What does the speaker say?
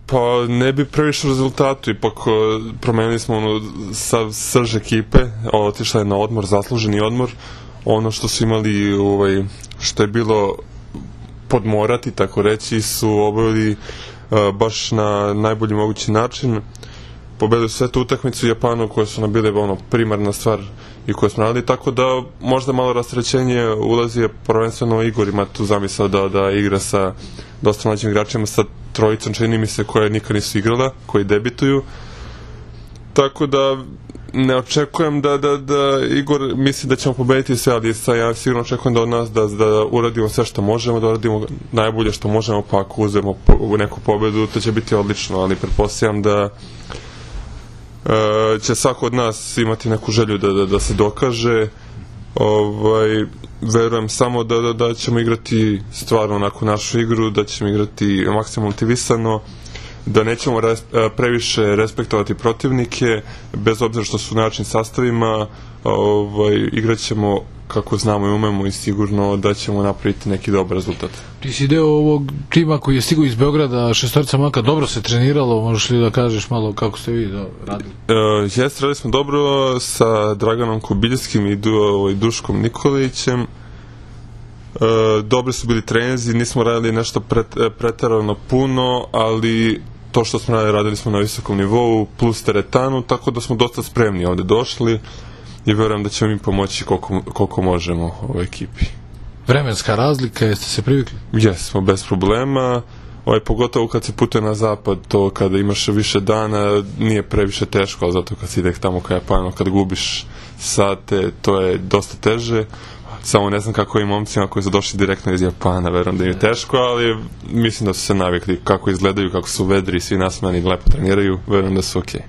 Pa ne bi previše rezultatu, ipak promenili smo sav srž ekipe, otišla je na odmor, zasluženi odmor, ono što su imali, što je bilo podmorati, tako reći, su obavili baš na najbolji mogući način. Pobedili su svetu utakmicu u Japanu koje su nam bile primarna stvar i koje smo radili, tako da možda malo rasterećenje ulazi, prvenstveno Igor ima tu zamisao da igra sa dosta mlađim igračima, sa trojicom, čini mi se, koje nikad nisu igrala, koji debituju, tako da ne očekujem da Igor misli da ćemo pobediti sve, ali ja sigurno očekujem da od nas da uradimo sve što možemo, da uradimo najbolje što možemo, pa ako uzemo neku pobedu, to će biti odlično, ali pretpostavljam da će svako od nas imati neku želju da se dokaže. Verujem samo da ćemo igrati stvarno onako našu igru, da ćemo igrati maksimalno motivisano, da nećemo previše respektovati protivnike, bez obzira što su u način sastavima, igrat ćemo kako znamo i umemo i sigurno da ćemo napraviti neki dobar rezultat. Ti si deo ovog tima koji je stigao iz Beograda, šestorica maka, dobro se treniralo, možeš li da kažeš malo kako ste vi radili? Jeste, radili smo dobro sa Draganom Kobiljskim i Duškom Nikolićem. Dobri su bili treninzi, nismo radili nešto preterano puno, ali to što smo radili smo na visokom nivou, plus teretanu, tako da smo dosta spremni ovde došli i verujem da ćemo im pomoći koliko možemo ovoj ekipi. Vremenska razlika, jeste se privikli? Jesmo, bez problema. Pogotovo kad se putuje na zapad, to kada imaš više dana nije previše teško, ali zato kad si ide tamo ka Japanu, kad gubiš sate, to je dosta teže. Samo ne znam kako i momcima koji su došli direktno iz Japana, verujem da im je teško, ali mislim da su se navikli kako izgledaju, kako su vedri, svi nasmejani, lepo treniraju, verujem da su okej.